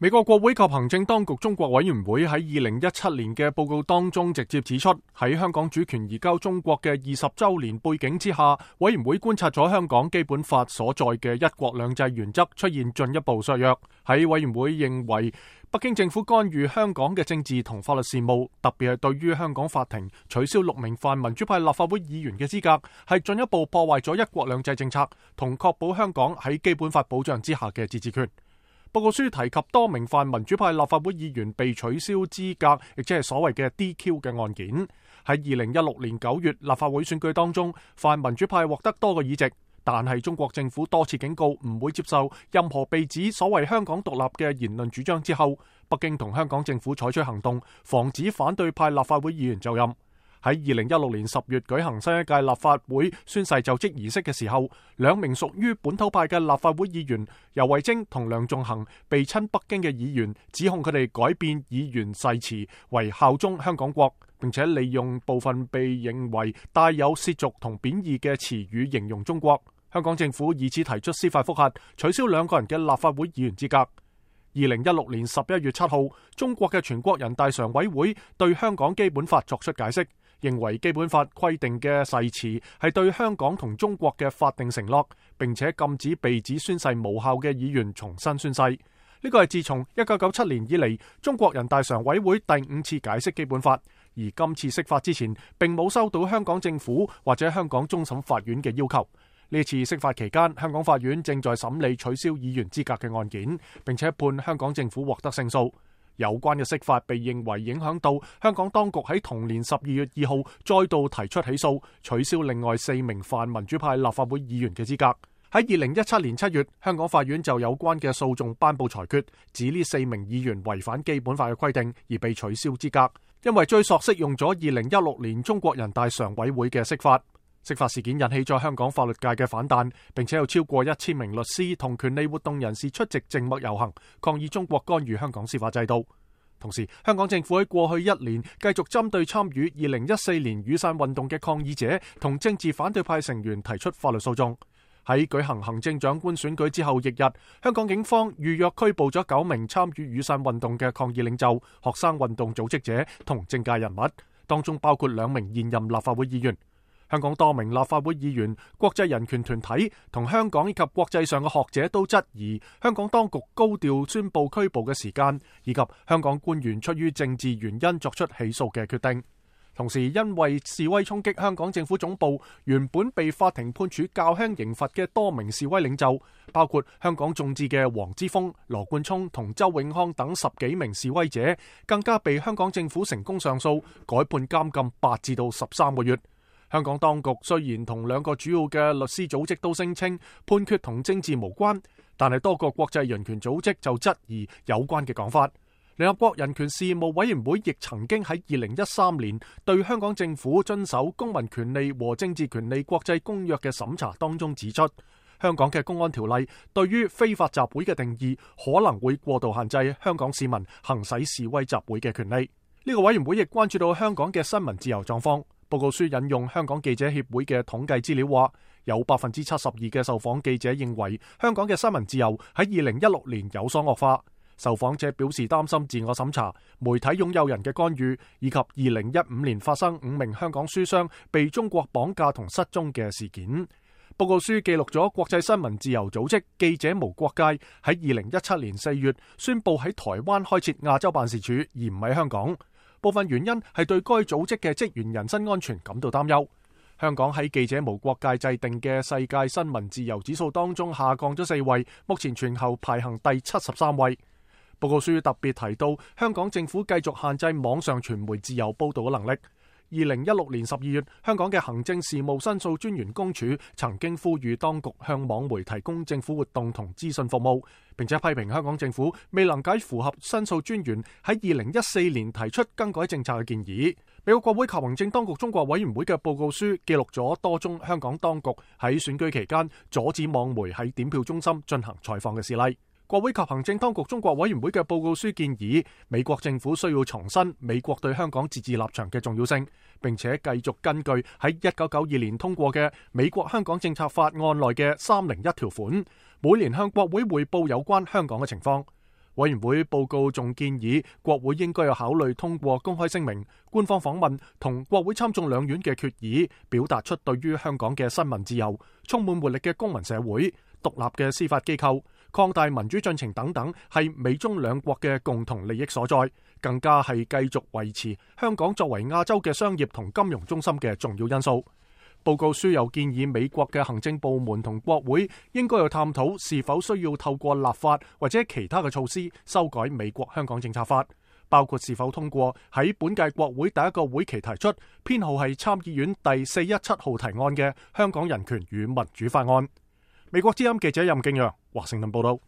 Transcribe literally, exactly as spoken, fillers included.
美國國會及行政當局中國委員會喺二零一七年嘅報告當中直接指出，喺香港主權移交中國嘅二十週年背景之下，委員會觀察咗香港基本法所在嘅一國兩制原則出現進一步削弱。喺委員會認為，北京政府干預香港嘅政治同法律事務，特別係對於香港法庭取消六名泛民主派立法會議員嘅資格，係進一步破壞咗一國兩制政策，同確保香港喺基本法保障之下嘅自治權。報告書提及多名泛民主派立法會議員被取消資格，亦即係所謂嘅 D Q 嘅案件。喺二零一六年九月立法會選舉當中，泛民主派獲得多個議席，但係中國政府多次警告唔會接受任何被指所謂香港獨立嘅言論主張之後，北京同香港政府採取行動，防止反對派立法會議員就任。喺二零一六年十月舉行新一屆立法會宣誓就職儀式嘅時候，兩名屬於本土派嘅立法會議員游蕙禎同梁頌恆被親北京嘅議員指控佢哋改變議員誓詞為效忠香港國，並且利用部分被認為帶有褻瀆同貶義嘅詞語形容中國。香港政府以此提出司法覆核，取消兩個人嘅立法會議員資格。二零一六年十一月七號，中國嘅全國人大常委會對香港基本法作出解釋，認為基本法規定嘅誓詞係對香港同中國嘅法定承諾，並且禁止被指宣誓無效嘅議員重新宣誓。呢個係自從一九九七年以嚟，中國人大常委會第五次解釋基本法，而今次釋法之前，並冇收到香港政府或者香港終審法院嘅要求。呢次釋法期間，香港法院正在審理取消議員資格嘅案件，並且判香港政府獲得勝訴。有關嘅釋法被認為影響到香港當局喺同年十二月二號再度提出起訴，取消另外四名泛民主派立法會議員嘅資格。喺二零一七年七月，香港法院就有關嘅訴訟頒布裁決，指呢四名議員違反基本法嘅規定而被取消資格，因為追溯適用咗二零一六年中國人大常委會嘅釋法。釋法事件引起咗香港法律界嘅反彈，並且有超過一千名律師同權利活動人士出席靜默遊行，抗議中國干預香港司法制度。同時，香港政府喺過去一年繼續針對參與二零一四年雨傘運動嘅抗議者同政治反對派成員提出法律訴訟。喺舉行行政長官選舉之後翌日，香港警方預約拘捕咗九名參與雨傘運動嘅抗議領袖、學生運動組織者同政界人物，當中包括兩名現任立法會議員。香港多名立法會議員、國際人權團體同香港以及國際上嘅學者都質疑香港當局高調宣布拘捕嘅時間，以及香港官員出於政治原因作出起訴嘅決定。同時，因為示威衝擊香港政府總部，原本被法庭判處較輕刑罰嘅多名示威領袖，包括香港眾志嘅黃之鋒、羅冠聰同周永康等十幾名示威者，更加被香港政府成功上訴，改判監禁八至到十三個月。香港當局雖然同兩個主要嘅律師組織都聲稱判決同政治無關，但係多個國際人權組織就質疑有關嘅講法。聯合國人權事務委員會亦曾經喺二零一三年對香港政府遵守公民權利和政治權利國際公約嘅審查當中指出，香港嘅公安條例對於非法集會嘅定義可能會過度限制香港市民行使示威集會嘅權利。呢個委員會亦關注到香港嘅新聞自由狀況。報告書引用香港記者協會嘅統計資料話，有百分之七十二嘅受訪記者認為香港嘅新聞自由喺二零一六年有所惡化。受訪者表示擔心自我審查、媒體擁有人嘅干預，以及二零一五年發生五名香港書商被中國綁架同失蹤嘅事件。報告書記錄咗國際新聞自由組織記者無國界喺二零一七年四月宣布喺台灣開設亞洲辦事處，而唔喺香港。部分原因係對該組織嘅職員人身安全感到擔憂。香港喺記者無國界制定嘅世界新聞自由指數當中下降咗四位，目前全球排行第七十三位。報告書特別提到，香港政府繼續限制網上傳媒自由報導嘅能力。二零一六年十二月，香港嘅行政事務申訴專員公署曾經呼籲當局向網媒提供政府活動同資訊服務，並且批評香港政府未能解符合申訴專員喺二零一四年提出更改政策嘅建議。美國國會及行政當局中國委員會嘅報告書記錄咗多宗香港當局喺選舉期間阻止網媒喺點票中心進行採訪嘅事例。國會及行政當局中國委員會嘅報告書建議，美國政府需要重申美國對香港自治立場嘅重要性，並且繼續根據喺一九九二年通過嘅美國香港政策法案內嘅三零一條款，每年向國會匯報有關香港嘅情況。委員會報告仲建議，國會應該有考慮通過公開聲明、官方訪問同國會參眾兩院嘅決議，表達出對於香港嘅新聞自由、充滿活力嘅公民社會、獨立嘅司法機構、擴大民主進程等等，係美中兩國嘅共同利益所在，更加係繼續維持香港作為亞洲嘅商業同金融中心嘅重要因素。報告書又建議美國嘅行政部門同國會應該要探討是否需要透過立法或者其他嘅措施修改美國香港政策法，包括是否通過喺本屆國會第一個會期提出編號係參議院第四一七號提案嘅香港人權與民主法案。美國之音記者任敬揚華盛頓報道。